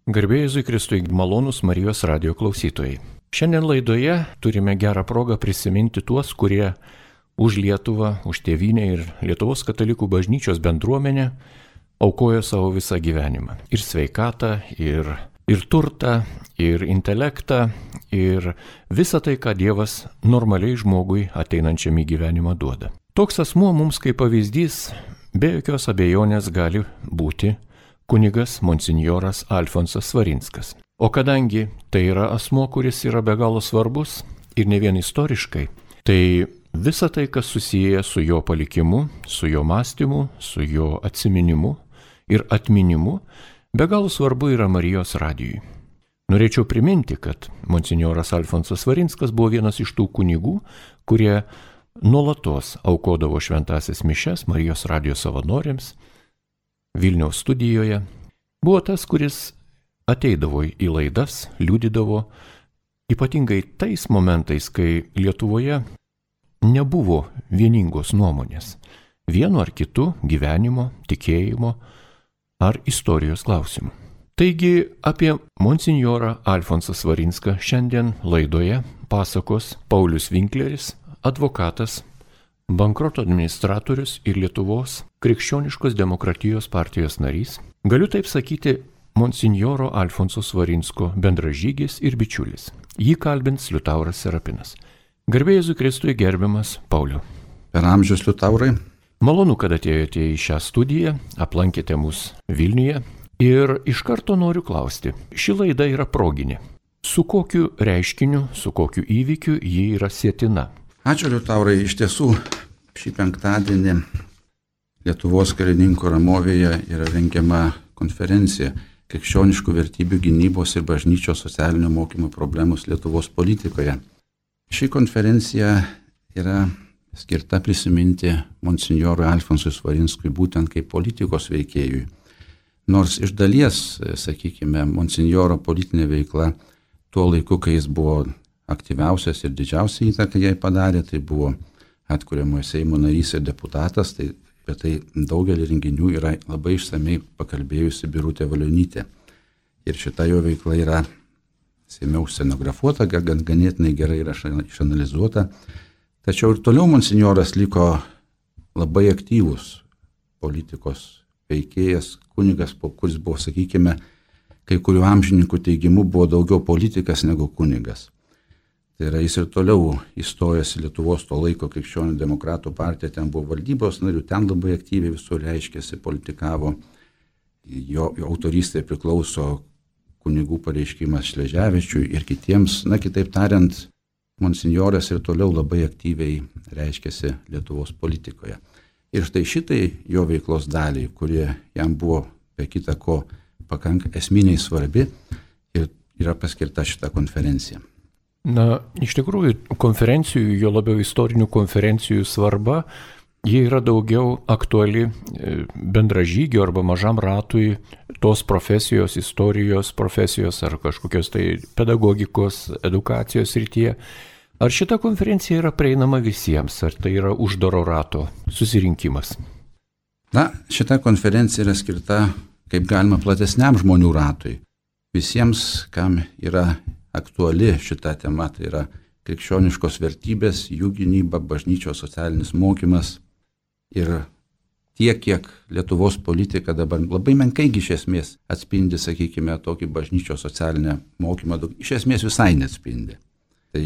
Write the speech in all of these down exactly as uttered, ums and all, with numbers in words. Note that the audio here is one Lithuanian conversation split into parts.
Garbė Jėzui Kristui, malonūs Marijos radijo klausytojai. Šiandien laidoje turime gerą progą prisiminti tuos, kurie už Lietuvą, už tėvynę ir Lietuvos katalikų bažnyčios bendruomenę aukojo savo visą gyvenimą. Ir sveikatą, ir, ir turtą, ir intelektą, ir visą tai, ką Dievas normaliai žmogui ateinančiam į gyvenimą duoda. Toks asmuo mums kaip pavyzdys be jokios abejonės gali būti kunigas monsinjoras Alfonsas Svarinskas. O kadangi tai yra asmuo, kuris yra be galo svarbus ir ne vien istoriškai, tai visa tai, kas susiję su jo palikimu, su jo mąstymu, su jo atsiminimu ir atminimu, be galo svarbu yra Marijos radijui. Norėčiau priminti, kad monsinjoras Alfonsas Svarinskas buvo vienas iš tų kunigų, kurie nuolatos aukodavo šventąsias mišias Marijos radijo savanoriams Vilniaus studijoje. Buvo tas, kuris ateidavo į laidas, liudydavo, ypatingai tais momentais, kai Lietuvoje nebuvo vieningos nuomonės vienu ar kitu gyvenimo, tikėjimo ar istorijos klausimu. Taigi apie monsinjorą Alfonsą Svarinską šiandien laidoje pasakos Paulius Vinkleris, advokatas, bankroto administratorius ir Lietuvos krikščioniškos demokratijos partijos narys. Galiu taip sakyti, monsinjoro Alfonso Svarinsko bendražygis ir bičiulis. Jį kalbins Liutauras Serapinas. Garbė Jėzui Kristui, gerbiamas Pauliau. Per amžius, Liutaurai. Malonu, kad atėjote į šią studiją, aplankėte mus Vilniuje ir iš karto noriu klausti. Ši laida yra proginė. Su kokiu reiškiniu, su kokiu įvykiu ji yra sietina? Ačiū, Liutaurai. Iš tiesų, šį penktadienį Lietuvos karininkų Ramovėje yra rengiama konferencija Krikščioniškų vertybių gynybos ir bažnyčios socialinio mokymo problemos Lietuvos politikoje. Ši konferencija yra skirta prisiminti monsinjorui Alfonsui Svarinskui būtent kaip politikos veikėjui. Nors iš dalies, sakykime, monsinjoro politinė veikla tuo laiku, kai jis buvo aktyviausias ir didžiausia įtaka jai padarė, tai buvo atkuriamojo Seimo narys ir deputatas, tai apie tai daugelį renginių yra labai išsamei pakalbėjusi Birutė Valionytė. Ir šita jo veikla yra Seime scenografuota, gan ganėtinai gerai yra išanalizuota. Tačiau ir toliau monsinjoras liko labai aktyvus politikos veikėjas, kunigas, kuris buvo, sakykime, kai kurių amžininkų teigimu buvo daugiau politikas negu kunigas. Tai yra, jis ir toliau įstojęs į Lietuvos to laiko krikščionių demokratų partiją, ten buvo valdybos narių, ten labai aktyviai visur reiškėsi, politikavo. Jo, jo autorystė priklauso kunigų pareiškimas Šleževičiui ir kitiems. Na, kitaip tariant, monsinjoras ir toliau labai aktyviai reiškėsi Lietuvos politikoje. Ir štai šitai jo veiklos daliai, kurie jam buvo be kita ko pakankamai esminiai svarbi, ir yra paskirta šita konferencija. Na, iš tikrųjų, konferencijų, jo labiau istorinių konferencijų svarba, jie yra daugiau aktuali bendražygio arba mažam ratui tos profesijos, istorijos profesijos ar kažkokios tai pedagogikos, edukacijos srityje. Ar šita konferencija yra prieinama visiems, ar tai yra uždaro rato susirinkimas? Na, šita konferencija yra skirta kaip galima platesniam žmonių ratui. Visiems, kam yra aktuali šita tema, tai yra krikščioniškos vertybės, jų gynyba, bažnyčios socialinis mokymas ir tiek, kiek Lietuvos politika dabar labai menkai iš esmės atspindi, sakykime, tokį bažnyčios socialinę mokymą, iš esmės visai neatspindi. Tai,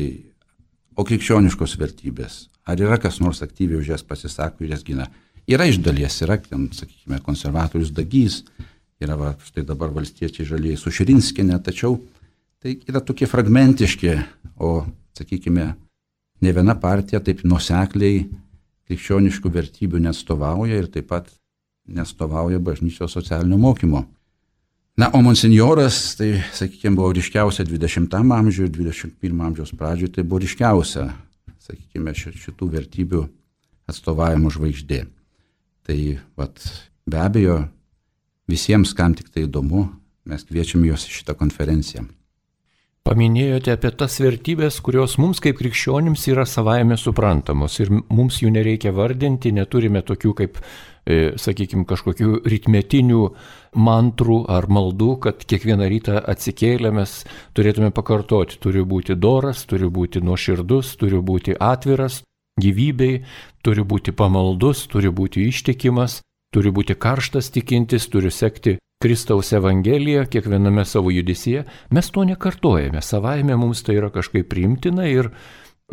o krikščioniškos vertybės, ar yra kas nors aktyviai už jas pasisako ir jas gina? Yra iš dalies, yra, sakykime, konservatorius Dagys, yra va, štai dabar valstiečiai žalieji su Širinskiene, tačiau tai yra tokie fragmentiški, o, sakykime, ne viena partija taip nuosekliai krikščioniškų vertybių neatstovauja ir taip pat neatstovauja bažnyčios socialinio mokymo. Na, o monsinjoras, tai, sakykime, buvo ryškiausia dvidešimtam amžiuje, dvidešimt pirmo amžiaus pradžioje, tai buvo ryškiausia, sakykime, šitų vertybių atstovavimo žvaigždė. Tai, vat, be abejo, visiems, kam tik tai įdomu, mes kviečiame juos į šitą konferenciją. Paminėjote apie tas vertybės, kurios mums kaip krikščionims yra savaime suprantamos ir mums jų nereikia vardinti, neturime tokių kaip sakykime, kažkokių ritmetinių mantrų ar maldų, kad kiekvieną rytą atsikėlę mes turėtume pakartoti. Turi būti doras, turi būti nuoširdus, turi būti atviras gyvybei, turi būti pamaldus, turi būti ištikimas, turi būti karštas tikintis, turi sekti Kristaus Evangeliją kiekviename savo judesyje. Mes to nekartojame, savaime mums tai yra kažkaip priimtina ir,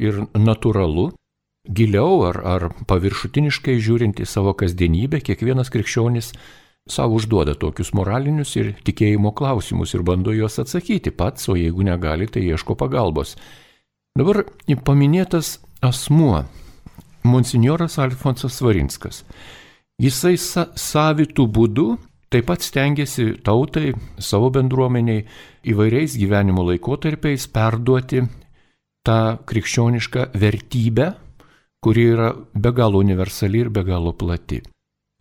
ir natūralu. Giliau ar, ar paviršutiniškai žiūrint į savo kasdienybę, kiekvienas krikščionis savo užduoda tokius moralinius ir tikėjimo klausimus ir bando juos atsakyti pats, o jeigu negali, tai ieško pagalbos. Dabar paminėtas asmuo, monsinjoras Alfonsas Svarinskas. Jisai sa- savitų būdų taip pat stengiasi tautai, savo bendruomeniai įvairiais gyvenimo laikotarpiais perduoti tą krikščionišką vertybę, kuri yra be galo universali ir be galo plati.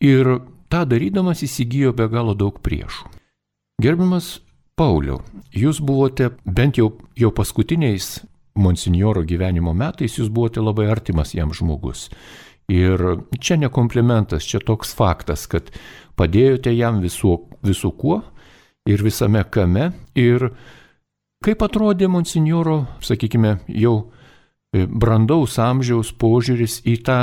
Ir tą darydamas įsigijo be galo daug priešų. Gerbiamas Pauliau, jūs buvote bent jau, jau paskutiniais monsinjoro gyvenimo metais, jūs buvote labai artimas jam žmogus. Ir čia ne komplimentas, čia toks faktas, kad padėjote jam visų, visų kuo ir visame kame. Ir kaip atrodė monsinjoro, sakykime, jau brandaus amžiaus požiūris į tą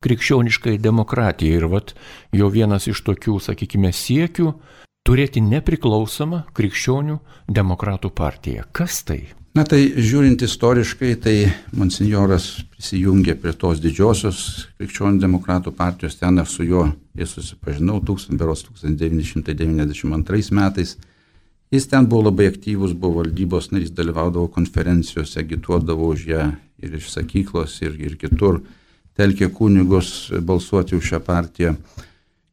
krikščionišką demokratiją. Ir vat jo vienas iš tokių, sakykime, siekių turėti nepriklausomą krikščionių demokratų partiją. Kas tai? Na tai žiūrint istoriškai, tai monsinjoras prisijungė prie tos didžiosios krikščionių demokratų partijos, ten aš su juo ir susipažinau tūkstantis devyni šimtai devyniasdešimt antrais metais. Jis ten buvo labai aktyvus, buvo valdybos narys, dalyvaudavo konferencijose, agituodavo už ją ir iš sakyklos, ir, ir kitur, telkė kunigus balsuoti už šią partiją.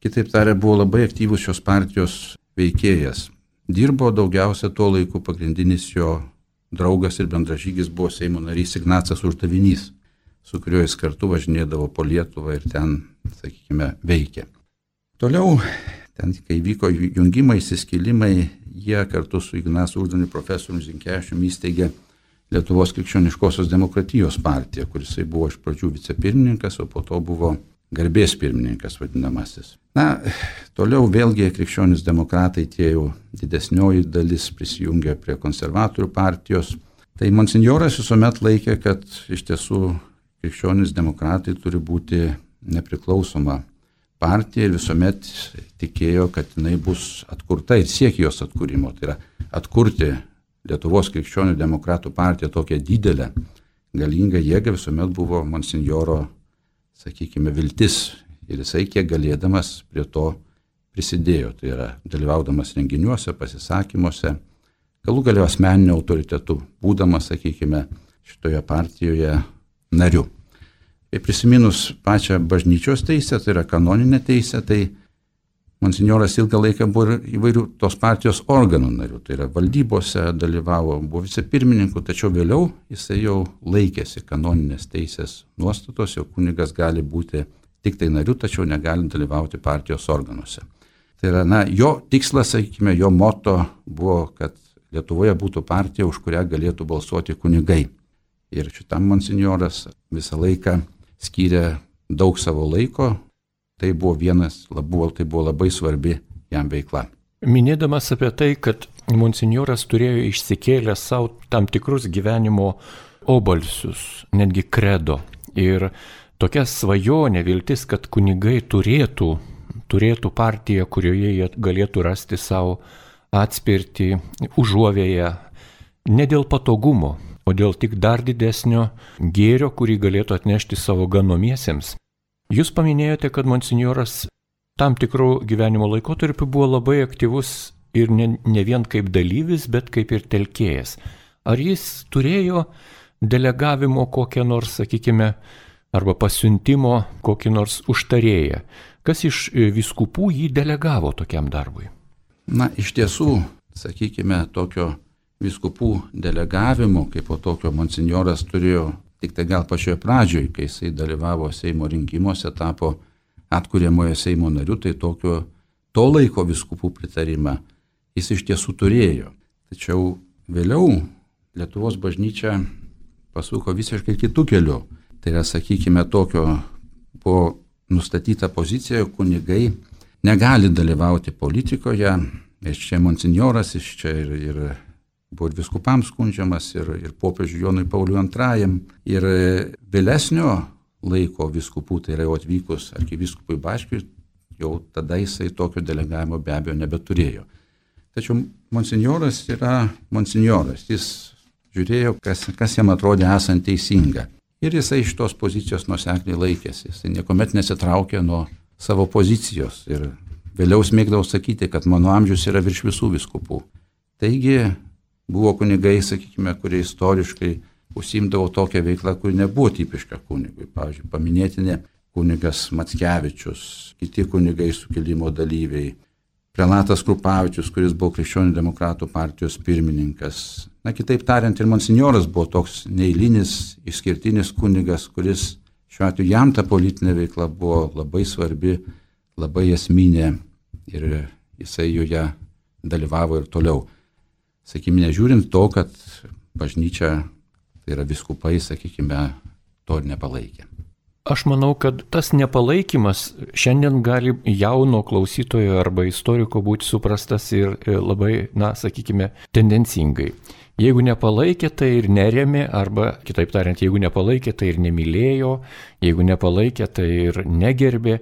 Kitaip tariant, buvo labai aktyvus šios partijos veikėjas. Dirbo daugiausia tuo laiku, pagrindinis jo draugas ir bendražygis buvo Seimo narys Ignacas Uždavinys, su kuriuo jis kartu važinėdavo po Lietuvą ir ten, sakykime, veikė. Toliau, ten, kai vyko jungimai, įsiskilimai, jie kartu su Ignacu Uždaviniu profesoriumi Zinkevičiumi įsteigė Lietuvos krikščioniškosios demokratijos partiją, kuris buvo iš pradžių vicepirmininkas, o po to buvo garbės pirmininkas vadinamasis. Na, toliau vėlgi krikščionis demokratai, tie jau didesnioji dalis prisijungė prie konservatorių partijos. Tai monsinjoras visuomet laikė, kad iš tiesų krikščionis demokratai turi būti nepriklausoma partija ir visuomet tikėjo, kad jinai bus atkurta ir siekė jos atkūrimo. Tai yra atkurti Lietuvos krikščionių demokratų partiją tokią didelę, galingą jėgą visuomet buvo monsinjoro, sakykime, viltis. Ir jisai kiek galėdamas prie to prisidėjo. Tai yra dalyvaudamas renginiuose, pasisakymuose, galų galėjo asmeniniu autoritetu, būdamas, sakykime, šitoje partijoje nariu. Ir prisiminus pačią bažnyčios teisę, tai yra kanoninę teisę, tai monsinjoras ilgą laiką buvo įvairių tos partijos organų narių, tai yra valdybose dalyvavo, buvo vicepirmininku, tačiau vėliau jisai jau laikėsi kanoninės teisės nuostatos, jog kunigas gali būti tik tai nariu, tačiau negali dalyvauti partijos organuose. Tai yra, na, jo tikslas, sakykime, jo moto buvo, kad Lietuvoje būtų partija, už kurią galėtų balsuoti kunigai. Ir šitam monsinjoras visą laiką skyrė daug savo laiko. Tai buvo vienas, buvo, tai buvo labai svarbi jam veikla. Minėdamas apie tai, kad monsinjoras turėjo išsikėlę savo tam tikrus gyvenimo obalsius, netgi kredo. Ir tokia svajonė, viltis, kad kunigai turėtų, turėtų partiją, kurioje jie galėtų rasti savo atspirtį, užuovėją, ne dėl patogumo, o dėl tik dar didesnio gėrio, kurį galėtų atnešti savo ganomiesiems. Jūs paminėjote, kad monsinjoras tam tikrų gyvenimo laikotarpių buvo labai aktyvus ir ne, ne vien kaip dalyvis, bet kaip ir telkėjas. Ar jis turėjo delegavimo kokią nors, sakykime, arba pasiuntimo kokį nors užtarėją? Kas iš vyskupų jį delegavo tokiam darbui? Na, iš tiesų, sakykime, tokio vyskupų delegavimo, kaip po tokio monsinjoras turėjo tik tai gal pačioje pradžioje, kai jisai dalyvavo Seimo rinkimuose, tapo atkuriamojo Seimo nariu, tai tokio to laiko vyskupų pritarimą jis iš tiesų turėjo. Tačiau vėliau Lietuvos bažnyčia pasuko visiškai kitų kelių. Tai yra, sakykime, tokio po nustatyta pozicija, jog kunigai negali dalyvauti politikoje. Iš čia monsinjoras, iš čia ir, ir buvo ir viskupams skundžiamas, ir, ir popiežiui Jonui Pauliui antrajam. Ir vėlesnio laiko viskupų, tai yra jau atvykus arkivyskupui Bačkiui, jau tada jisai tokio delegavimo be abejo nebeturėjo. Tačiau monsinjoras yra monsinjoras. Jis žiūrėjo, kas, kas jam atrodė esant teisinga. Ir jisai iš tos pozicijos nuosekliai laikėsi. Jisai niekuomet nesitraukė nuo savo pozicijos. Ir vėliau smėgdavo sakyti, kad mano amžius yra virš visų viskupų. Taigi buvo kunigai, sakykime, kurie istoriškai užsiimdavo tokią veiklą, kuri nebuvo tipiška kunigui. Pavyzdžiui, paminėtinė kunigas Mackevičius, kiti kunigai sukilimo dalyviai, prelatas Krupavičius, kuris buvo Krikščionių demokratų partijos pirmininkas. Na, kitaip tariant, ir monsinjoras buvo toks neeilinis, išskirtinis kunigas, kuris šiuo atveju jam ta politinė veikla buvo labai svarbi, labai esminė ir jisai joje dalyvavo ir toliau. Sakykime, nežiūrint to, kad bažnyčia, tai yra viskupai, sakykime, to ir nepalaikė. Aš manau, kad tas nepalaikymas šiandien gali jauno klausytojo arba istoriko būti suprastas ir labai, na, sakykime, tendencingai. Jeigu nepalaikė, tai ir nerėmė, arba, kitaip tariant, jeigu nepalaikė, tai ir nemylėjo, jeigu nepalaikė, tai ir negerbė.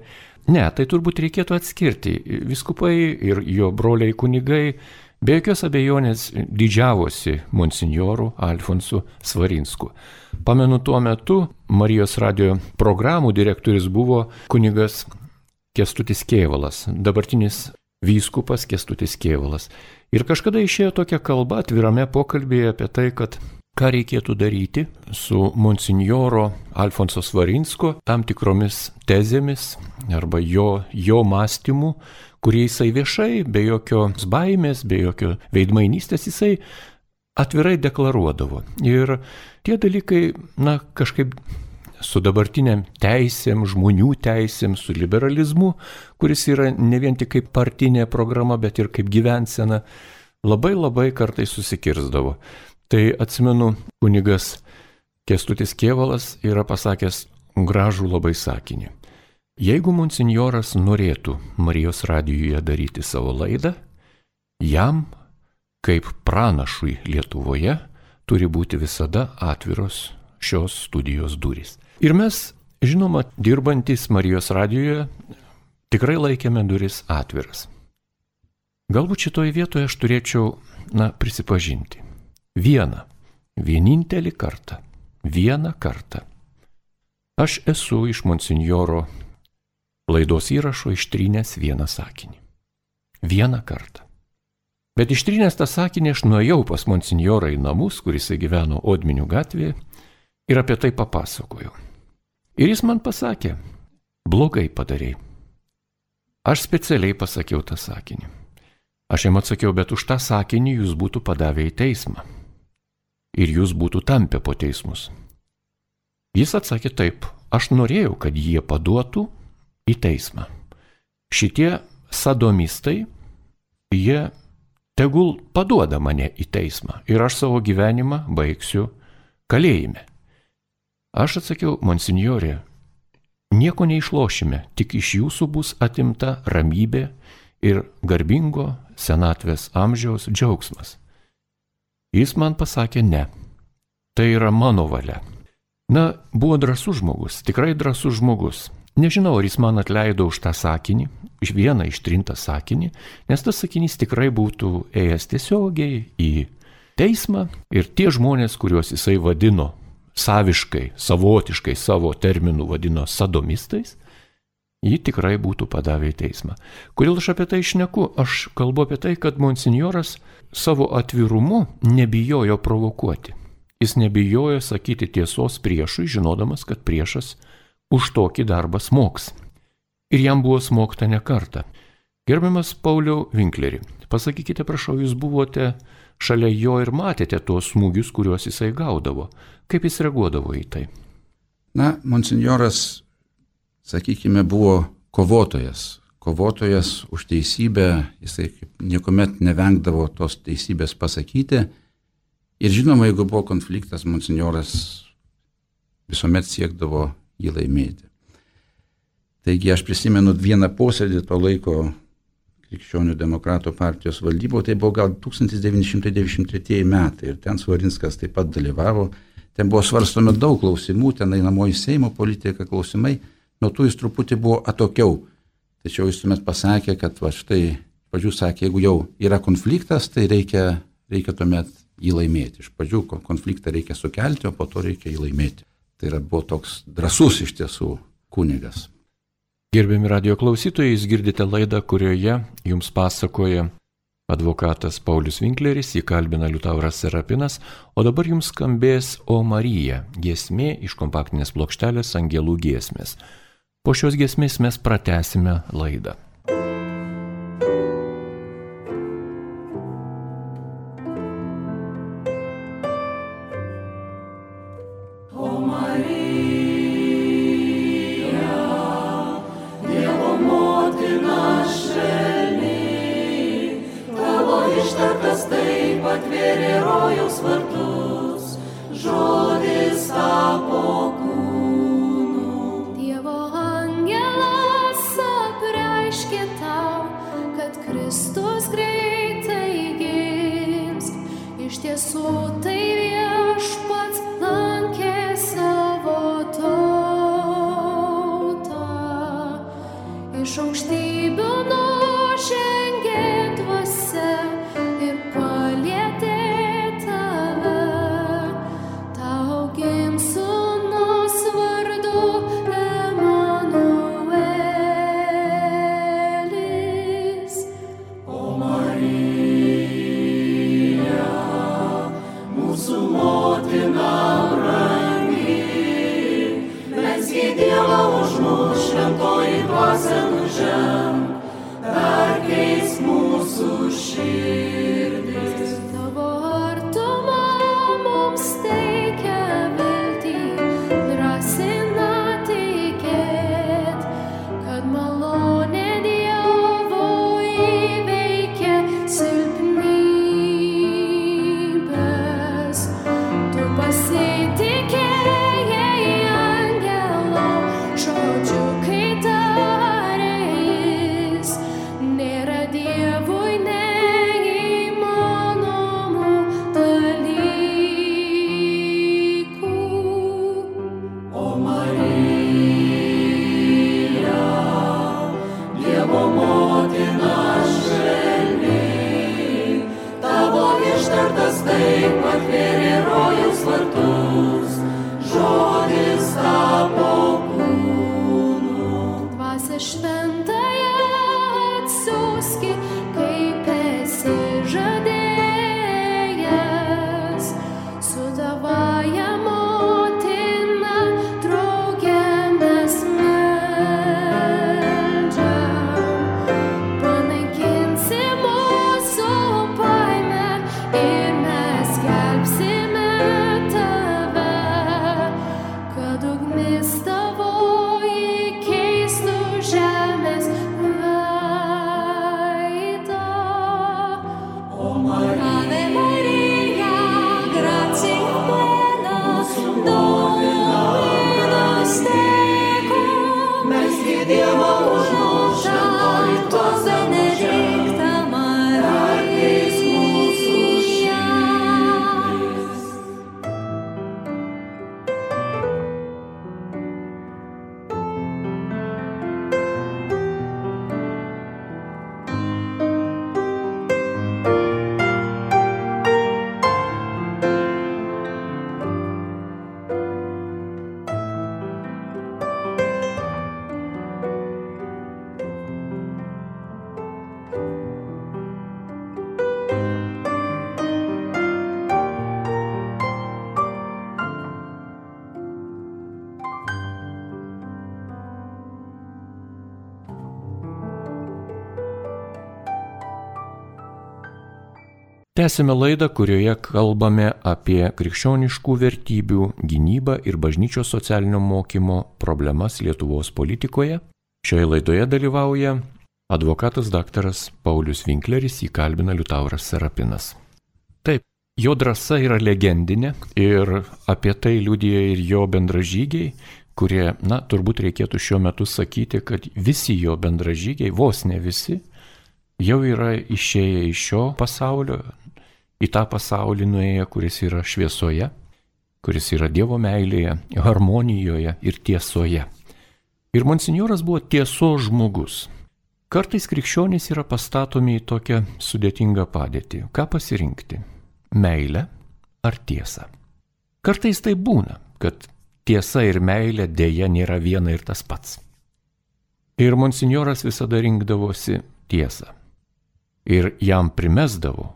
Ne, tai turbūt reikėtų atskirti. Viskupai ir jo broliai kunigai be jokios abejonės didžiavosi monsinjoru Alfonsu Svarinsku. Pamenu, tuo metu Marijos radijo programų direktorius buvo kunigas Kęstutis Kėvalas, dabartinis vyskupas Kęstutis Kėvalas. Ir kažkada išėjo tokia kalba atvirame pokalbėje apie tai, kad ką reikėtų daryti su monsinjoro Alfonso Svarinsko tam tikromis tezėmis arba jo, jo mąstymu, kurį jisai viešai, be jokios baimės, be jokio veidmainystės, jisai atvirai deklaruodavo. Ir tie dalykai, na, kažkaip su dabartiniam teisėm, žmonių teisėm, su liberalizmu, kuris yra ne vien tik kaip partinė programa, bet ir kaip gyvensena, labai labai kartais susikirzdavo. Tai atsimenu, kunigas Kęstutis Kėvalas yra pasakęs gražų labai sakinį. Jeigu monsinjoras norėtų Marijos radijuje daryti savo laidą, jam, kaip pranašui Lietuvoje, turi būti visada atviros šios studijos durys. Ir mes, žinoma, dirbantis Marijos radijoje, tikrai laikėme duris atviras. Galbūt šitoje vietoje aš turėčiau, na, prisipažinti. Vieną, vienintelį kartą, vieną kartą. Aš esu iš monsinjoro laidos įrašo ištrynęs vieną sakinį. Vieną kartą. Bet ištrynęs tą sakinį aš nuėjau pas monsinjorą į namus, kuris gyveno Odminių gatvėje, ir apie tai papasakojau. Ir jis man pasakė, blogai padarei. Aš specialiai pasakiau tą sakinį. Aš jam atsakiau, bet už tą sakinį jūs būtų padavę į teismą. Ir jūs būtų tampę po teismus. Jis atsakė taip, aš norėjau, kad jie paduotų į teismą. Šitie sadomistai, jie tegul paduoda mane į teismą ir aš savo gyvenimą baigsiu kalėjime. Aš atsakiau, monsinjorė, nieko neišlošime, tik iš jūsų bus atimta ramybė ir garbingo senatvės amžiaus džiaugsmas. Jis man pasakė ne, tai yra mano valia. Na, buvo drąsus žmogus, tikrai drąsus žmogus. Nežinau, ar jis man atleido už tą sakinį, iš vieną ištrintą sakinį, nes tas sakinys tikrai būtų ėjęs tiesiogiai į teismą ir tie žmonės, kuriuos jisai vadino saviškai, savotiškai savo terminų vadino sadomistais, jį tikrai būtų padavę į teismą. Kodėl aš apie tai šneku? Aš kalbu apie tai, kad monsinjoras savo atvirumu nebijojo provokuoti. Jis nebijojo sakyti tiesos priešui, žinodamas, kad priešas už tokį darbą smogs. Ir jam buvo smogta ne kartą. Gerbiamas Pauliau Vinkleri, pasakykite, prašau, jūs buvote šalia jo ir matėte tuos smūgius, kuriuos jisai gaudavo. Kaip jis reaguodavo į tai? Na, monsinjoras, sakykime, buvo kovotojas. Kovotojas už teisybę, jisai niekuomet nevengdavo tos teisybės pasakyti. Ir žinoma, jeigu buvo konfliktas, monsinjoras visuomet siekdavo jį laimėti. Taigi aš prisimenu vieną posėdį to laiko Krikščionių demokratų partijos valdyboje, tai buvo gal tūkstantis devyni šimtai devyniasdešimt tretieji metai ir ten Svarinskas taip pat dalyvavo. Ten buvo svarstomi daug klausimų, ten einamoji Seimo politika klausimai, nuo tų jis truputį buvo atokiau. Tačiau jis tuomet pasakė, kad va štai, pradžių sakė, jeigu jau yra konfliktas, tai reikia, reikia tuomet jį laimėti. Iš pradžių konfliktą reikia sukelti, o po to reikia jį laimėti. Tai yra buvo toks drąsus iš tiesų kunigas. Gerbiami radio klausytojai, jūs girdite laidą, kurioje jums pasakoja advokatas Paulius Winkleris, jį kalbina Liutauras Serapinas, o dabar jums skambės O Marija, giesmė iš kompaktinės plokštelės Angelų giesmės. Po šios giesmės mes pratęsime laidą. Tęsime laidą, kurioje kalbame apie krikščioniškų vertybių gynybą ir bažnyčios socialinio mokymo problemas Lietuvos politikoje. Šioje laidoje dalyvauja advokatas daktaras Paulius Winkleris, jį kalbina Liutauras Serapinas. Taip, jo drąsa yra legendinė ir apie tai liudija ir jo bendražygiai, kurie, na, turbūt reikėtų šiuo metu sakyti, kad visi jo bendražygiai, vos ne visi, jau yra išėję iš šio pasaulio, į tą pasaulį nuėję, kuris yra šviesoje, kuris yra Dievo meilėje, harmonijoje ir tiesoje. Ir monsinjoras buvo tiesos žmogus. Kartais krikščionys yra pastatomi į tokią sudėtingą padėtį. Ką pasirinkti? Meilę ar tiesą? Kartais tai būna, kad tiesa ir meilė dėja nėra viena ir tas pats. Ir monsinjoras visada rinkdavosi tiesą. Ir jam primesdavo,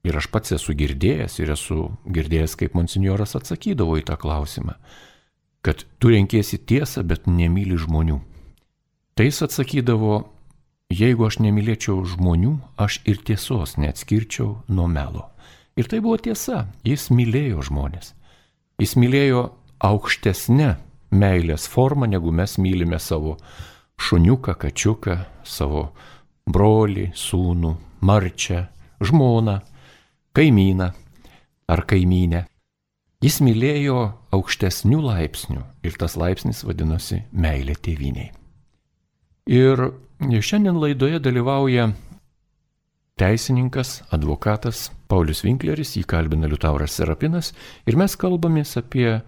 ir aš pats esu girdėjęs, ir esu girdėjęs, kaip monsinjoras atsakydavo į tą klausimą, kad tu renkiesi tiesą, bet nemyli žmonių. Tai jis atsakydavo, jeigu aš nemylėčiau žmonių, aš ir tiesos neatskirčiau nuo melo. Ir tai buvo tiesa, jis mylėjo žmonės. Jis mylėjo aukštesnę meilės formą, negu mes mylime savo šuniuką, kačiuką, savo brolį, sūnų, marčią, žmoną, kaimyną ar kaimynę. Jis mylėjo aukštesnių laipsnių ir tas laipsnis vadinosi meilė tėvynei. Ir šiandien laidoje dalyvauja teisininkas, advokatas Paulius Winkleris, jį kalbina Liutauras Serapinas ir mes kalbamės apie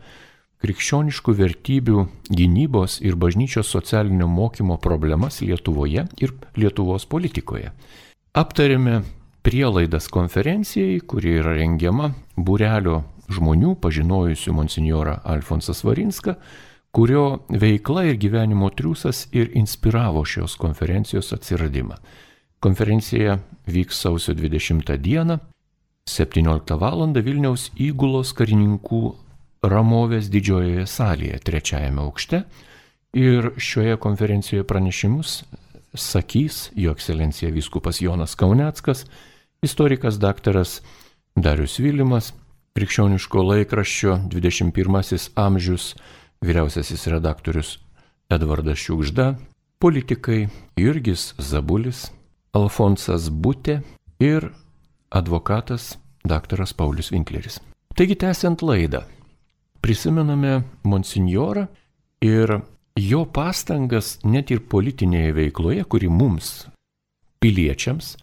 krikščioniškų vertybių gynybos ir bažnyčios socialinio mokymo problemas Lietuvoje ir Lietuvos politikoje. Aptarėme prielaidas konferencijai, kuri yra rengiama būrelio žmonių pažinojusių monsinjorą Alfonsą Svarinską, kurio veikla ir gyvenimo triūsas ir inspiravo šios konferencijos atsiradimą. Konferencija vyks sausio dvidešimtą dieną, septynioliktą valandą Vilniaus Įgulos karininkų Ramovės didžiojoje salėje, trečiajame aukšte. Ir šioje konferencijoje pranešimus sakys Jo ekscelencija vyskupas Jonas Kauneckas, istorikas daktaras Darius Vilimas, krikščioniško laikraščio dvidešimt pirmasis amžius vyriausiasis redaktorius Edvardas Šiugžda, politikai Jurgis Zabulis, Alfonsas Butė ir advokatas daktaras Paulius Winkleris. Taigi, tęsiant laidą, prisimename monsinjorą ir jo pastangas net ir politinėje veikloje, kuri mums, piliečiams,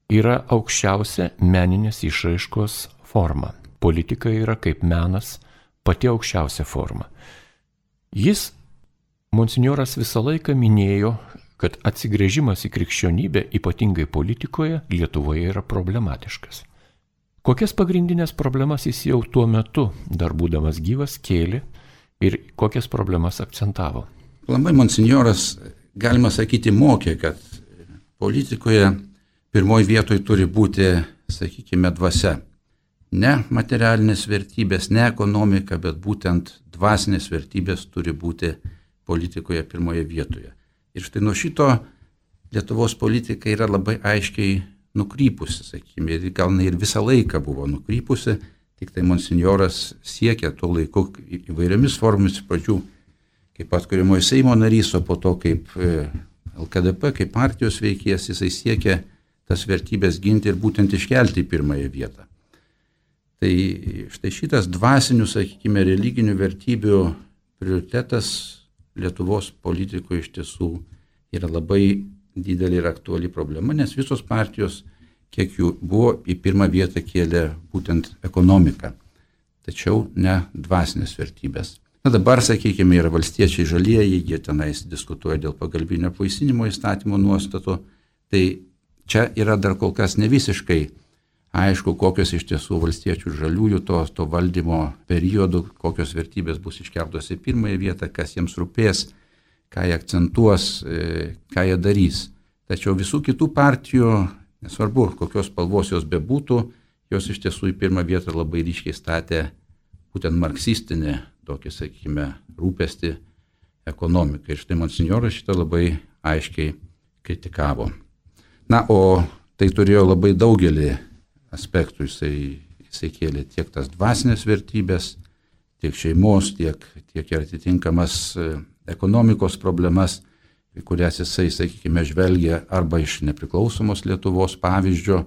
yra aukščiausia meninės išraiškos forma. Politika yra kaip menas pati aukščiausia forma. Jis, monsinjoras, visą laiką minėjo, kad atsigręžimas į krikščionybę, ypatingai politikoje, Lietuvoje yra problematiškas. Kokias pagrindinės problemas jis jau tuo metu, dar būdamas gyvas, kėlė ir kokias problemas akcentavo? Labai monsinjoras, galima sakyti, mokė, kad politikoje pirmoji vietoje turi būti, sakykime, dvasia. Ne materialinės vertybės, ne ekonomika, bet būtent dvasinės vertybės turi būti politikoje pirmoje vietoje. Ir štai nuo šito Lietuvos politika yra labai aiškiai nukrypusi, sakykime, ir gal ir visą laiką buvo nukrypusi, tik tai monsinjoras siekia tuo laiku įvairiomis formomis, pradžių kaip atkuriamojo Seimo narys, o po to kaip L K D P, kaip partijos veikėjas, jisai siekia tas vertybės ginti ir būtent iškelti į pirmąją vietą. Tai štai šitas dvasinių, sakykime, religinių vertybių prioritetas Lietuvos politikoje iš tiesų yra labai didelė ir aktuali problema, nes visos partijos, kiek jų buvo, į pirmą vietą kėlė būtent ekonomiką, tačiau ne dvasinės vertybės. Na dabar, sakykime, yra valstiečiai žalieji, jie tenais diskutuoja dėl pagalbinio apvaisinimo įstatymo nuostatų, tai čia yra dar kol kas ne visiškai aišku, kokios iš tiesų valstiečių žaliųjų to, to valdymo periodų, kokios vertybės bus iškeltos į pirmąją vietą, kas jiems rūpės, ką jie akcentuos, ką jie darys. Tačiau visų kitų partijų, nesvarbu, kokios spalvos jos bebūtų, jos iš tiesų į pirmą vietą labai ryškiai statė būtent marksistinį, tokį, sakykime, rūpestį ekonomiką. Ir štai monsinjoras šitą labai aiškiai kritikavo. Na, o tai turėjo labai daugelį aspektų, jisai, jisai kėlė tiek tas dvasinės vertybės, tiek šeimos, tiek, tiek ir atitinkamas ekonomikos problemas, kurias jisai, sakykime, žvelgia arba iš nepriklausomos Lietuvos pavyzdžio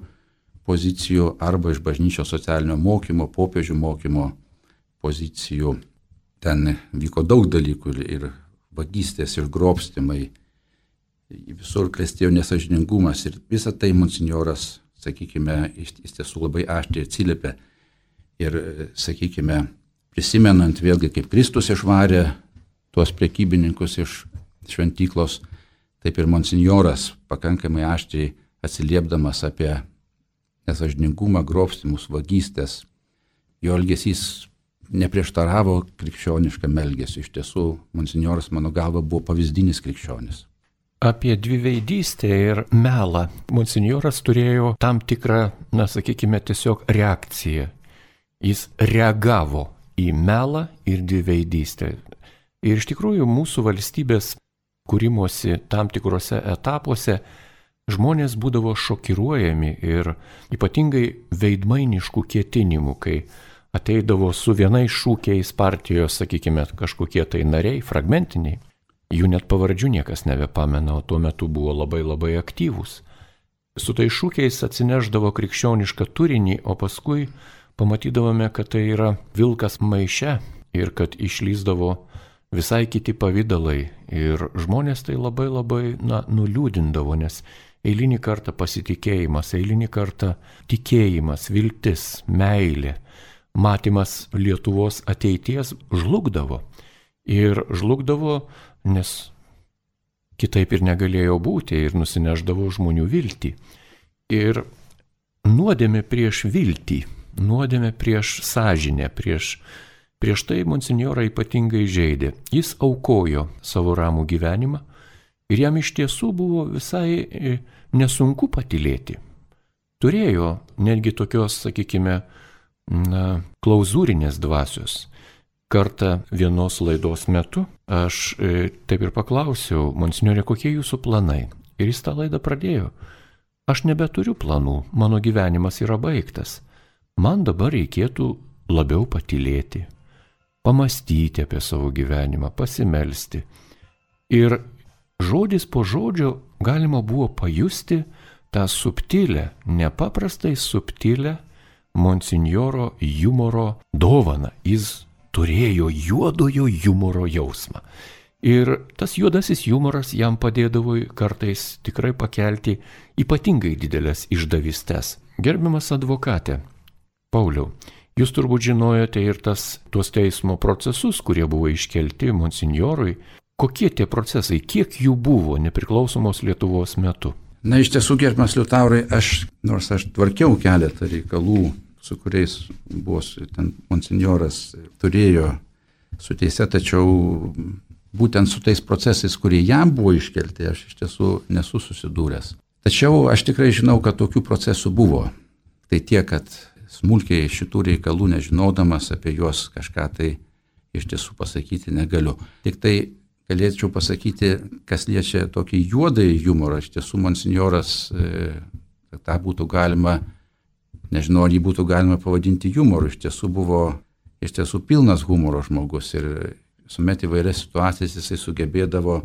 pozicijų, arba iš bažnyčios socialinio mokymo, popiežių mokymo pozicijų. ten vyko daug dalykų ir vagystės, ir grobstimai, visur klestėjo nesažiningumas ir visą tai monsinjoras, sakykime, iš, iš tiesų labai aštriai atsiliepė ir, sakykime, prisimenant vėlgi, kaip Kristus išvarė tuos prekybininkus iš šventyklos, taip ir monsinjoras pakankamai aštriai atsiliepdamas apie nesažiningumą, grobstimus, vagystės. Jo elgesys neprieštaravo krikščioniškam elgesiu. Iš tiesų, monsinjoras, mano galva, buvo pavyzdinis krikščionis. Apie dviveidystę ir melą monsinjoras turėjo tam tikrą, na, sakykime, tiesiog reakciją. Jis reagavo į melą ir dviveidystę. Ir iš tikrųjų mūsų valstybės kūrimosi tam tikrose etapuose žmonės būdavo šokiruojami ir ypatingai veidmainiškų ketinimų, kai ateidavo su vienais šūkiais partijos, sakykime, kažkokie tai nariai, fragmentiniai. Jų net pavardžių niekas nebepamena, o tuo metu buvo labai labai aktyvūs. Su tai šūkiais atsineždavo krikščionišką turinį, o paskui pamatydavome, kad tai yra vilkas maiše ir kad išlyzdavo visai kiti pavydalai. Ir žmonės tai labai labai, na, nuliūdindavo, nes eilinį kartą pasitikėjimas, eilinį kartą tikėjimas, viltis, meilė, matymas Lietuvos ateities žlugdavo. Ir žlugdavo, nes kitaip ir negalėjo būti ir nusineždavo žmonių viltį. Ir nuodėmė prieš viltį, nuodėmė prieš sąžinę, prieš, prieš tai monsinjorą ypatingai žeidė. Jis aukojo savo ramų gyvenimą ir jam iš tiesų buvo visai nesunku patylėti. Turėjo netgi tokios, sakykime, na, klauzūrinės dvasios. Kartą vienos laidos metu aš e, taip ir paklausiau, monsinjorė, kokie jūsų planai? Ir jis tą laidą pradėjo. Aš nebeturiu planų, mano gyvenimas yra baigtas. Man dabar reikėtų labiau patylėti, pamastyti apie savo gyvenimą, pasimelsti. Ir žodis po žodžio galima buvo pajusti tą subtilę, nepaprastai subtilę monsinjoro humoro dovaną. Jis turėjo juodojo humoro jausmą. Ir tas juodasis humoras jam padėdavo kartais tikrai pakelti ypatingai didelės išdavystes. Gerbiamas advokate, Pauliau, jūs turbūt žinojote ir tas, tuos teismo procesus, kurie buvo iškelti monsinjorui. Kokie tie procesai, kiek jų buvo nepriklausomos Lietuvos metu? Na, iš tiesų, gerbiamas Liutaurai, aš, nors aš tvarkiau keletą reikalų, su kuriais buvo ten monsinjoras turėjo su teise, tačiau būtent su tais procesais, kurie jam buvo iškelti, aš iš tiesų nesu susidūręs. Tačiau aš tikrai žinau, kad tokių procesų buvo. Tai tiek, kad smulkiai šitų reikalų nežinodamas apie juos kažką tai iš tiesų pasakyti negaliu. Tik tai galėčiau pasakyti, kas liečia tokį juodąjį humorą, iš tiesų monsinjoras, kad tą būtų galima, nežinau, ar jį būtų galima pavadinti humoru, iš tiesų buvo iš tiesų pilnas humoro žmogus ir visuomet įvairias situacijas jisai sugebėdavo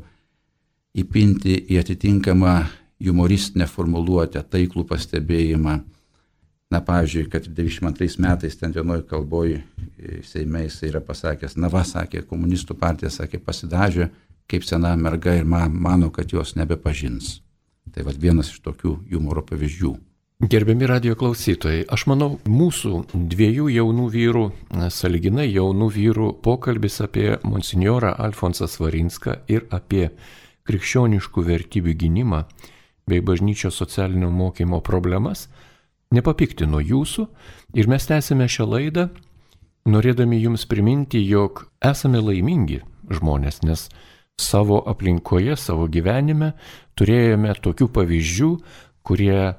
įpinti į atitinkamą humoristinę formuluotę, taiklų pastebėjimą. Na, pavyzdžiui, kad devyniasdešimt antrais metais ten vienoj kalboj Seime jisai yra pasakęs, na va, sakė, komunistų partija, sakė, pasidažė kaip sena merga ir man, mano, kad jos nebepažins. Tai va vienas iš tokių humoro pavyzdžių. Gerbiami radijo klausytojai, aš manau, mūsų dviejų jaunų vyrų, sąlyginai jaunų vyrų pokalbis apie monsinjorą Alfonsą Svarinską ir apie krikščioniškų vertybių gynimą bei bažnyčios socialinio mokymo problemas nepapiktino jūsų ir mes tęsime šią laidą, norėdami jums priminti, jog esame laimingi žmonės, nes savo aplinkoje, savo gyvenime turėjome tokių pavyzdžių, kurie,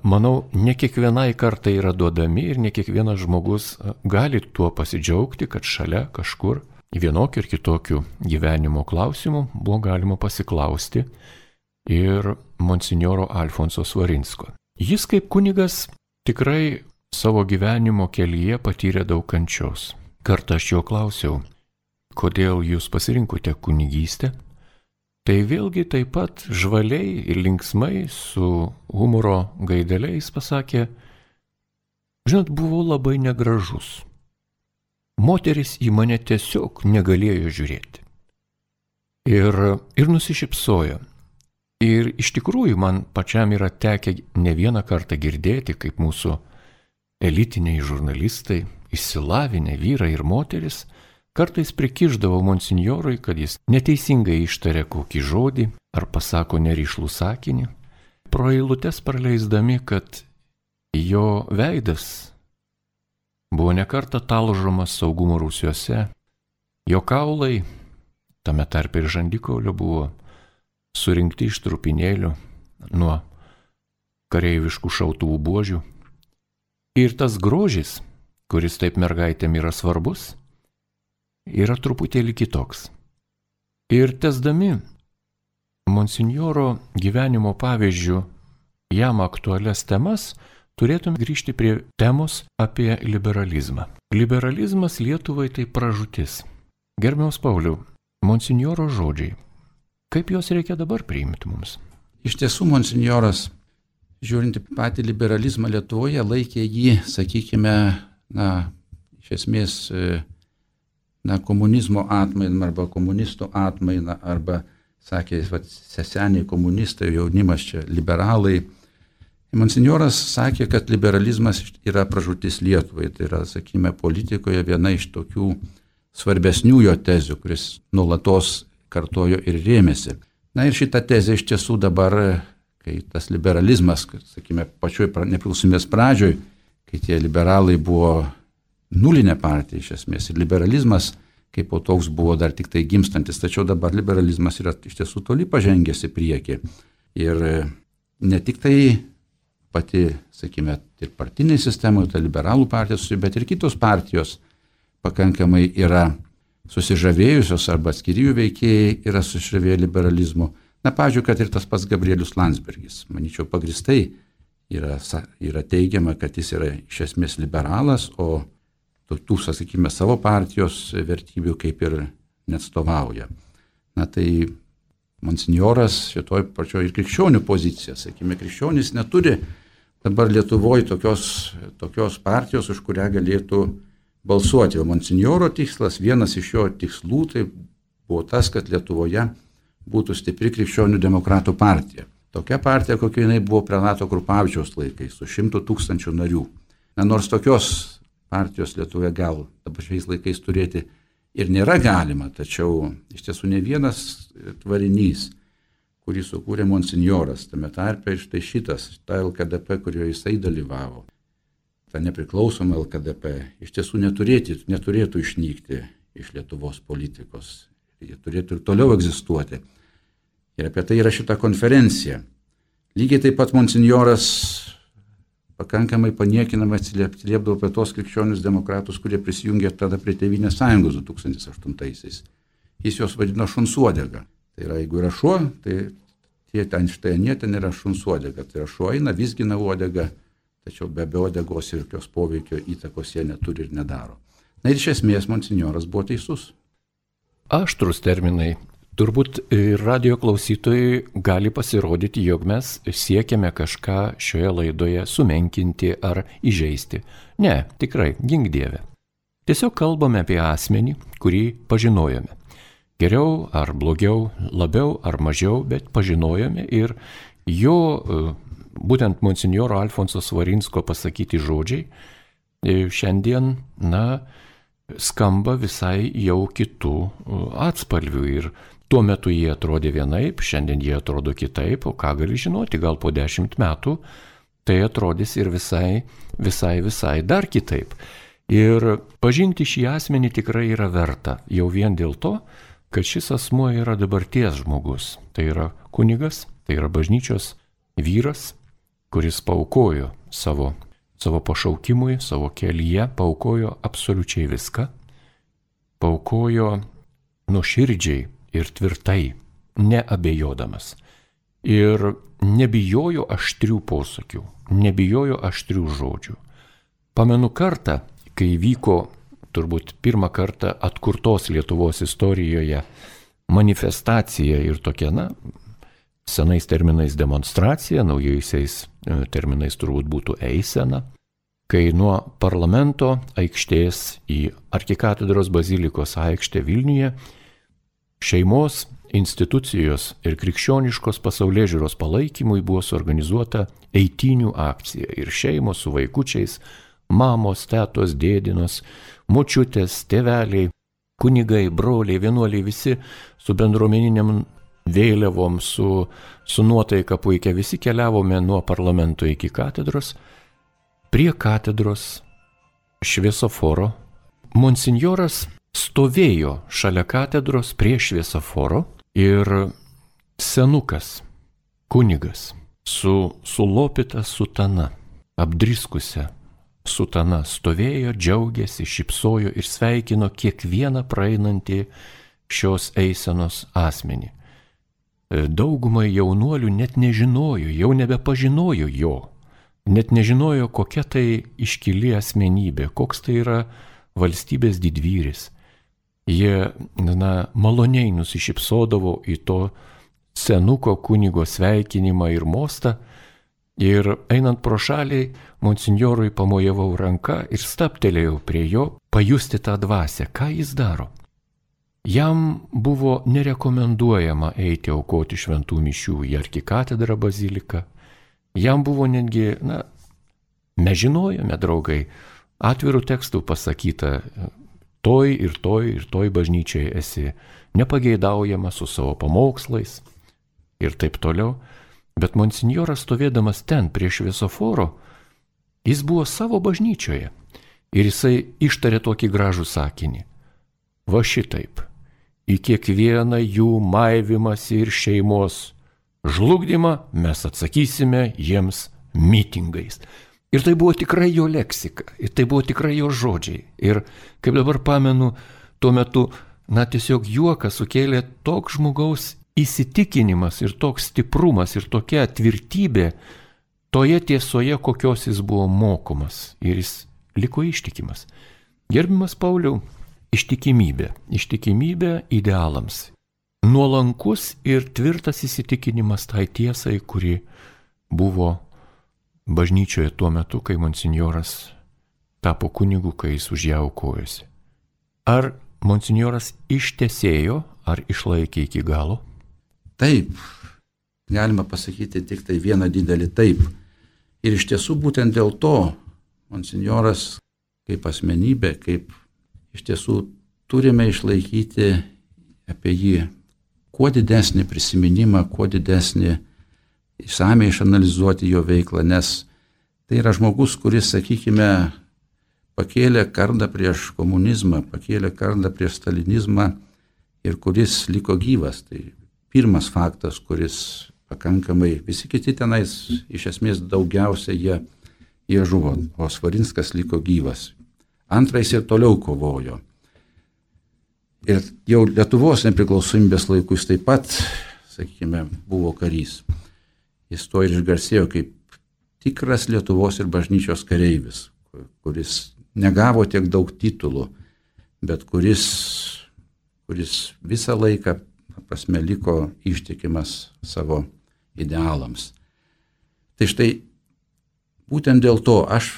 manau, ne kiekvienai kartai yra duodami ir ne kiekvienas žmogus gali tuo pasidžiaugti, kad šalia kažkur vienokių ir kitokių gyvenimo klausimų buvo galima pasiklausti ir monsinjoro Alfonso Svarinsko. Jis kaip kunigas tikrai savo gyvenimo kelyje patyrė daug kančios. Kartą aš jo klausiau, kodėl jūs pasirinkote kunigystę? Tai vėlgi taip pat žvaliai ir linksmai su humoro gaideliais pasakė, žinot, buvau labai negražus. moteris į mane tiesiog negalėjo žiūrėti. Ir, ir nusišypsojo. Ir iš tikrųjų man pačiam yra tekę ne vieną kartą girdėti, kaip mūsų elitiniai žurnalistai, išsilavinę vyrai ir moteris, kartais prikišdavo monsinjorui, kad jis neteisingai ištarė kokį žodį ar pasako nerišlų sakinį, pro eilutes praleisdami, kad jo veidas buvo nekartą talžomas saugumo rūsiuose, jo kaulai, tame tarpe ir žandikaulio, buvo surinkti iš trupinėlių nuo kareiviškų šautuvų buožių. Ir tas grožis, kuris taip mergaitėm yra svarbus, yra truputėlį kitoks. Ir tesdami monsinjoro gyvenimo pavyzdžių jam aktualias temas, turėtume grįžti prie temos apie liberalizmą. Liberalizmas Lietuvai tai pražūtis. Gerbiamas Pauliau, monsinjoro žodžiai, kaip juos reikia dabar priimti mums? Iš tiesų, monsinjoras, žiūrint į patį liberalizmą Lietuvoje, laikė jį, sakykime, na, iš esmės, na, komunizmo atmainą arba komunistų atmainą, arba, sakė, va, seseniai komunistai, jaunimas čia liberalai. Monsinjoras sakė, kad liberalizmas yra pražūtis Lietuvai, tai yra, sakykime, politikoje viena iš tokių svarbesnių jo tezių, kuris nuolatos kartojo ir rėmėsi. Na ir šita tezė iš tiesų dabar, kai tas liberalizmas, sakykime, pačioj nepriklausomybės pradžioj, kai tie liberalai buvo nulinė partija iš esmės ir liberalizmas kaip po toks buvo dar tik tai gimstantis, tačiau dabar liberalizmas yra iš tiesų toli pažengęs į priekį. Ir ne tik tai pati, sakykime, ir partinė sistema, ta liberalų partijos, bet ir kitos partijos pakankamai yra susižavėjusios arba atskiri jų veikėjai yra susižavėję liberalizmu. Na, pavyzdžiui, kad ir tas pats Gabrielius Landsbergis, manyčiau, pagristai yra, yra teigiama, kad jis yra iš esmės liberalas, o tų, sakykime, savo partijos vertybių kaip ir neatstovauja. Na, tai monsinjoras šitoj pačioj ir krikščionių pozicija, sakykime, krikščionys neturi dabar Lietuvoje tokios, tokios partijos, už kurią galėtų balsuoti. O monsinjoro tikslas, vienas iš jo tikslų, tai buvo tas, kad Lietuvoje būtų stipri krikščionių demokratų partija. Tokia partija, kokia jinai buvo Prenato Krupavičiaus laikais, su šimtu tūkstančių narių. Na, nors tokios partijos Lietuvoje gal dabar šiais laikais turėti ir nėra galima, tačiau iš tiesų ne vienas tvarinys, kurį sukūrė monsinjoras, tame tarpe štai šitas, ta L K D P, kurioje jisai dalyvavo, ta nepriklausoma L K D P, iš tiesų neturėtų, neturėtų išnykti iš Lietuvos politikos. Jie turėtų ir toliau egzistuoti. Ir apie tai yra šita konferencija. Lygiai taip pat monsinjoras pakankamai paniekinamai atsiliepdavo apie tos krikščionius demokratus, kurie prisijungė tada prie Tėvynės sąjungos du tūkstančiai aštuntaisiais. Jis jos vadino šunsodega. Tai yra, jeigu yra šuo, tai tie ten štai anie ten yra šunsodega. Tai yra šuo eina, vizgina uodegą, tačiau be uodegos ir jokios poveikio įtakos jie neturi ir nedaro. Na ir iš esmės monsinjoras buvo teisus. Aštrus terminai. Turbūt radio klausytojai gali pasirodyti, jog mes siekiame kažką šioje laidoje sumenkinti ar įžeisti. Ne, tikrai, gink Dieve. Tiesiog kalbame apie asmenį, kurį pažinojome. Geriau ar blogiau, labiau ar mažiau, bet pažinojome ir jo, būtent monsinjoro Alfonso Svarinsko pasakyti žodžiai šiandien, na, skamba visai jau kitų atspalvių ir tuo metu jie atrodė vienaip, šiandien jie atrodo kitaip, o ką gali žinoti, gal po dešimt metų tai atrodys ir visai, visai, visai dar kitaip. Ir pažinti šį asmenį tikrai yra verta, jau vien dėl to, kad šis asmuo yra dabarties žmogus. Tai yra kunigas, tai yra bažnyčios vyras, kuris paaukojo savo, savo pašaukimui, savo kelyje, paaukojo absoliučiai viską, paaukojo nuoširdžiai ir tvirtai, neabejodamas. Ir nebijojo aštrių posakių, nebijojo aštrių žodžių. Pamenu kartą, kai vyko turbūt pirmą kartą atkurtos Lietuvos istorijoje manifestacija ir tokia, na, senais terminais demonstracija, naujaisiais terminais turbūt būtų eisena. kai nuo parlamento aikštės į arkikatedros bazilikos aikštę Vilniuje šeimos, institucijos ir krikščioniškos pasaulėžiūros palaikymui buvo suorganizuota eitynių akcija ir šeimos su vaikučiais, mamos, tetos, dėdinos, močiutės, tėveliai, kunigai, broliai, vienuoliai, visi su bendruomeniniam vėliavom, su, su nuotaika puikia, visi keliavome nuo parlamento iki katedros. Prie katedros šviesoforo monsinjoras stovėjo šalia katedros prie šviesoforo ir senukas, kunigas, su sulopyta sutana, apdriskusia sutana stovėjo, džiaugėsi, šypsojo ir sveikino kiekvieną praeinantį šios eisenos asmenį. Daugumai jaunuolių net nežinojo, jau nebepažinojo jo, net nežinojo, kokia tai iškili asmenybė, koks tai yra valstybės didvyris. Jie, na, maloniai nusišypsodavo į to senuko kunigo sveikinimą ir mostą ir einant pro šalį, monsinjorui pamojavau ranką ir staptelėjau prie jo pajusti tą dvasią, ką jis daro. Jam buvo nerekomenduojama eiti aukoti šventų mišių į arkikatedrą baziliką. Jam buvo netgi, na, mes žinojome, draugai, atvirų tekstų pasakyta, toj ir toj ir toj bažnyčiai esi nepageidaujama su savo pamokslais ir taip toliau. Bet monsinjoras stovėdamas ten prie šviesoforo, jis buvo savo bažnyčioje ir jisai ištarė tokį gražų sakinį. Va šitaip, į kiekvieną jų maivimąsi ir šeimos žlugdymą mes atsakysime jiems mitingais. Ir tai buvo tikrai jo leksika, ir tai buvo tikrai jo žodžiai. Ir kaip dabar pamenu, tuo metu, na, tiesiog juoką sukėlė toks žmogaus įsitikinimas ir toks stiprumas ir tokia tvirtybė toje tiesoje, kokios jis buvo mokomas. Ir jis liko ištikimas. Gerbiamas Pauliau, ištikimybė. Ištikimybė idealams. Nuolankus ir tvirtas įsitikinimas tai tiesai, kuri buvo bažnyčioje tuo metu, kai monsinjoras tapo kunigu, kai jis už ją aukojosi. Ar monsinjoras ištesėjo, ar išlaikė iki galo? Taip, galima pasakyti tik tai vieną didelį taip. Ir iš tiesų būtent dėl to monsinjoras kaip asmenybė, kaip iš tiesų turime išlaikyti apie jį kuo didesnį prisiminimą, kuo didesnį išsamiai išanalizuoti jo veiklą, nes tai yra žmogus, kuris, sakykime, pakėlė kardą prieš komunizmą, pakėlė kardą prieš stalinizmą ir kuris liko gyvas. Tai pirmas faktas, kuris pakankamai, visi kiti tenais iš esmės daugiausia jie, jie žuvo, o Svarinskas liko gyvas. Antrais ir toliau kovojo. Ir jau Lietuvos nepriklausomybės laikus taip pat, sakykime, buvo karys. Jis to ir išgarsėjo kaip tikras Lietuvos ir bažnyčios kareivis, kuris negavo tiek daug titulų, bet kuris, kuris visą laiką, prasme, liko ištikimas savo idealams. Tai štai, būtent dėl to aš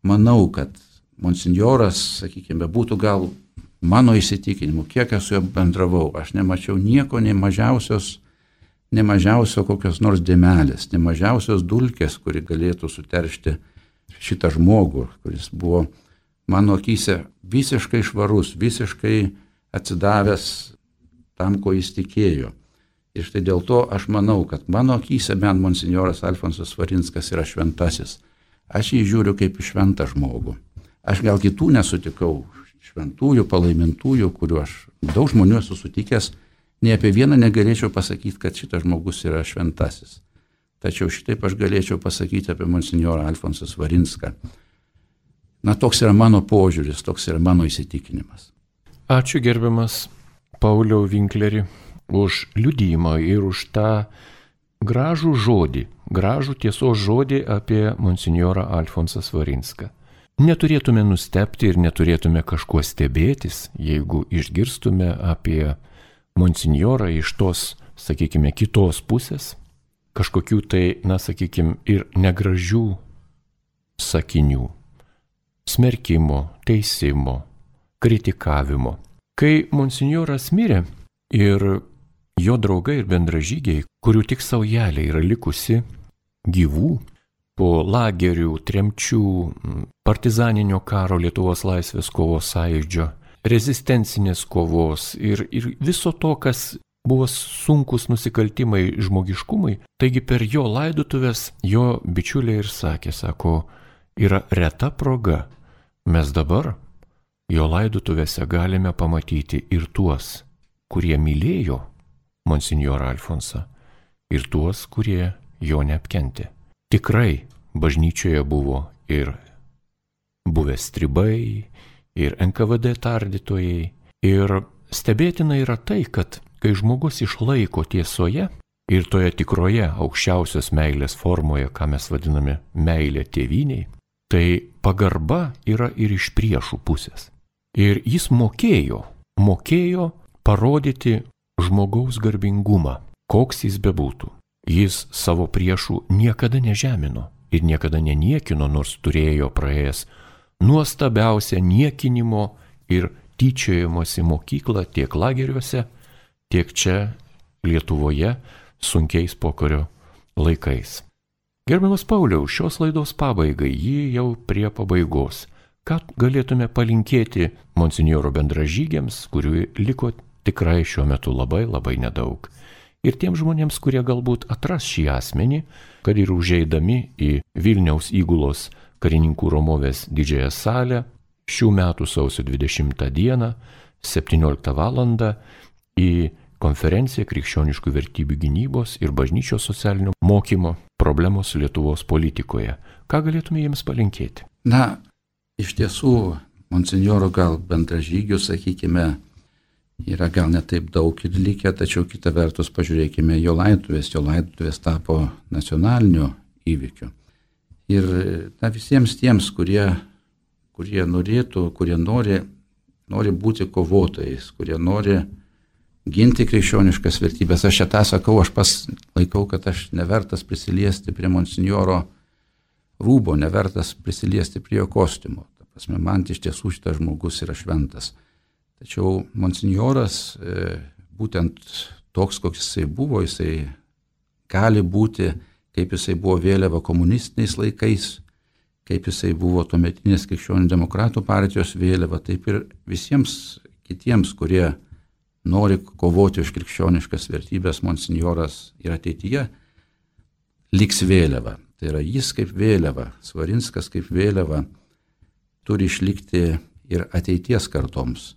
manau, kad monsinjoras, sakykime, būtų gal mano įsitikinimu, kiek esu jo bendravau, aš nemačiau nieko, nei mažiausios, ne mažiausio kokios nors dėmelės, ne mažiausios dulkės, kuri galėtų suteršti šitą žmogų, kuris buvo mano akyse visiškai švarus, visiškai atsidavęs tam, ko jis tikėjo. Ir štai dėl to aš manau, kad mano akyse bent monsinjoras Alfonsas Svarinskas yra šventasis. Aš jį žiūriu kaip šventą žmogų. Aš gal kitų nesutikau, šventųjų, palaimintųjų, kuriuo aš daug žmonių esu sutikęs, nei apie vieną negalėčiau pasakyti, kad šitas žmogus yra šventasis. Tačiau šitaip aš galėčiau pasakyti apie monsinjorą Alfonsą Svarinską. Na, toks yra mano požiūris, toks yra mano įsitikinimas. Ačiū gerbiamas Pauliau Vinkleri už liudijimą ir už tą gražų žodį, gražų tiesos žodį apie monsinjorą Alfonsą Svarinską. Neturėtume nustebti ir neturėtume kažkuo stebėtis, jeigu išgirstume apie monsinjorą iš tos, sakykime, kitos pusės, kažkokių tai, na, sakykime, ir negražių sakinių - smerkimo, teisimo, kritikavimo. Kai monsinjoras mirė ir jo draugai ir bendražygiai, kurių tik saujelė yra likusi gyvų, po lagerių, tremčių, partizaninio karo, Lietuvos laisvės kovos sąjūdžio, rezistencinės kovos ir, ir viso to, kas buvo sunkus nusikaltimai žmogiškumui, taigi per jo laidotuvės jo bičiuliai ir sakė, sako, yra reta proga, mes dabar jo laidotuvėse galime pamatyti ir tuos, kurie mylėjo monsinjorą Alfonsą, ir tuos, kurie jo neapkentė. Tikrai bažnyčioje buvo ir buvę stribai, ir N K V D tardytojai. Ir stebėtina yra tai, kad kai žmogus išlaiko tiesoje ir toje tikroje aukščiausios meilės formoje, ką mes vadiname meilė tėvyniai, tai pagarba yra ir iš priešų pusės. Ir jis mokėjo, mokėjo parodyti žmogaus garbingumą, koks jis bebūtų. Jis savo priešų niekada nežemino ir niekada neniekino, nors turėjo praėjęs nuostabiausią niekinimo ir tyčiojimosi mokyklą tiek lageriuose, tiek čia Lietuvoje sunkiais pokario laikais. Gerbiamas Pauliau, šios laidos pabaigai, ji jau prie pabaigos. Ką galėtume palinkėti monsinjoro bendražygiams, kurių liko tikrai šiuo metu labai labai nedaug. Ir tiems žmonėms, kurie galbūt atras šį asmenį, kad ir užeidami į Vilniaus įgulos karininkų Romovės didžiąją salę šių metų sausio dvidešimtą dieną, septynioliktą valandą į konferenciją Krikščioniškų vertybių gynybos ir bažnyčios socialinio mokymo problemos Lietuvos politikoje. Ką galėtume jiems palinkėti? Na, iš tiesų, monsinjoro gal bendražygių, sakykime, yra gal netaip daug ir likę, tačiau kita vertus pažiūrėkime jo laidotuvės. Jo laidotuvės tapo nacionaliniu įvykiu. Ir na, visiems tiems, kurie, kurie norėtų, kurie nori, nori būti kovotojais, kurie nori ginti krikščioniškas vertybės. Aš čia tą sakau, aš pas laikau, kad aš nevertas prisiliesti prie monsinjoro rūbo, nevertas prisiliesti prie jo kostiumo. Ta prasme, man iš tiesų šitas žmogus yra šventas. Tačiau monsinjoras, būtent toks, koks jisai buvo, jisai gali būti, kaip jisai buvo vėliava komunistiniais laikais, kaip jisai buvo tuometinės krikščionių demokratų partijos vėliava, taip ir visiems kitiems, kurie nori kovoti už krikščioniškas vertybės, monsinjoras ir ateityje liks vėliava. Tai yra jis kaip vėliava, Svarinskas kaip vėliava turi išlikti ir ateities kartoms.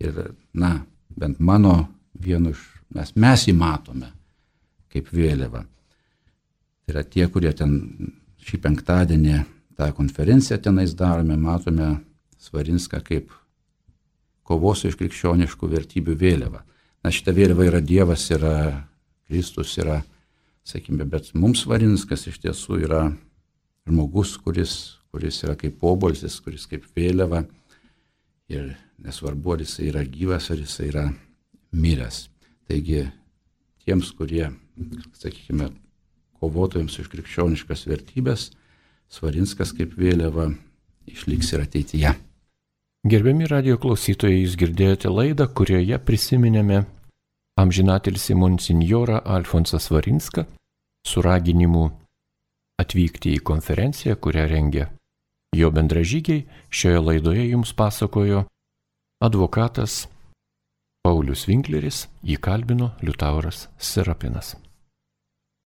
Ir, na, bent mano vienu iš, mes, mes jį matome kaip vėliava. Tai yra tie, kurie ten šį penktadienį tą konferenciją tenais darome, matome Svarinską kaip kovos iš krikščioniškų vertybių vėliava. Na, šita vėliava yra Dievas, yra Kristus, yra, sakykime, bet mums Svarinskas iš tiesų yra žmogus, kuris, kuris yra kaip obuolys, kuris kaip vėliava. Ir nesvarbu, ar jisai yra gyvas, ar jisai yra miręs. Taigi tiems, kurie, sakykime, kovotojams už krikščioniškas vertybės, Svarinskas kaip vėliava išliks ir ateityje. Gerbiami radijo klausytojai, jūs girdėjote laidą, kurioje prisiminėme amžinatilsį monsinjorą Alfonsą Svarinską su raginimu atvykti į konferenciją, kurią rengė jo bendražygiai. Šioje laidoje jums pasakojo advokatas Paulius Winkleris, jį kalbino Liutauras Serapinas.